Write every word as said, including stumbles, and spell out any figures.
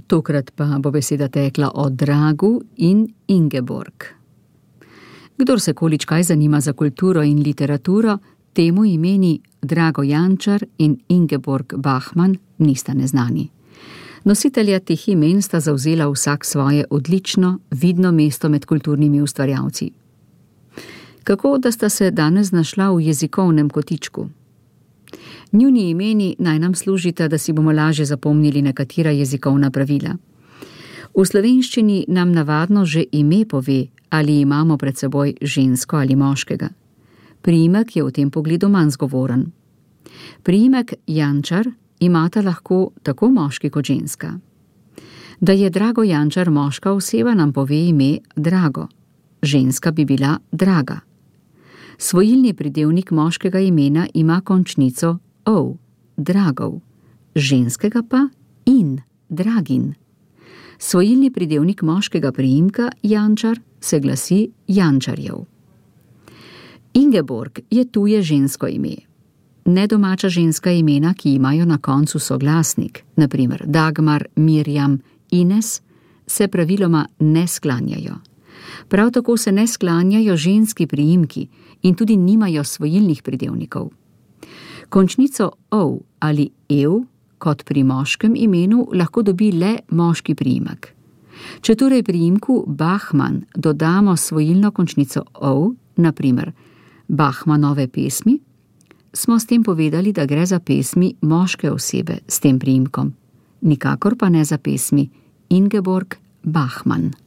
Tokrat pa bo beseda tekla o Dragu in Ingeborg. Kdor se količkaj zanima za kulturo in literaturo, temu imeni Drago Jančar in Ingeborg Bachmann nista neznani. Nositelja teh imen sta zavzela vsak svoje odlično, vidno mesto med kulturnimi ustvarjalci. Kako da sta se danes znašla v jezikovnem kotičku? Njuni imeni naj nam služita, da si bomo lažje zapomnili nekatera jezikovna pravila. V slovenščini nam navadno že ime pove, ali imamo pred seboj žensko ali moškega. Priimek je v tem pogledu manj zgovoren. Priimek Jančar imata lahko tako moški kot ženska. Da je Drago Jančar moška oseba, nam pove ime Drago. Ženska bi bila Draga. Svojilni pridevnik moškega imena ima končnico ov, Dragov, ženskega pa in, Dragin. Svojilni pridevnik moškega priimka Jančar se glasi Jančarjev. Ingeborg je tuje žensko ime. Nedomača ženska imena, ki imajo na koncu soglasnik, na primer Dagmar, Mirjam, Ines, se praviloma ne sklanjajo. Prav tako se ne sklanjajo ženski priimki in tudi nimajo svojilnih pridevnikov. Končnico ov ali ev, kot pri moškem imenu, lahko dobi le moški priimek. Če torej priimku Bachmann dodamo svojilno končnico ov, na primer Bachmannove pesmi, smo s tem povedali, da gre za pesmi moške osebe s tem priimkom, nikakor pa ne za pesmi Ingeborg Bachmann.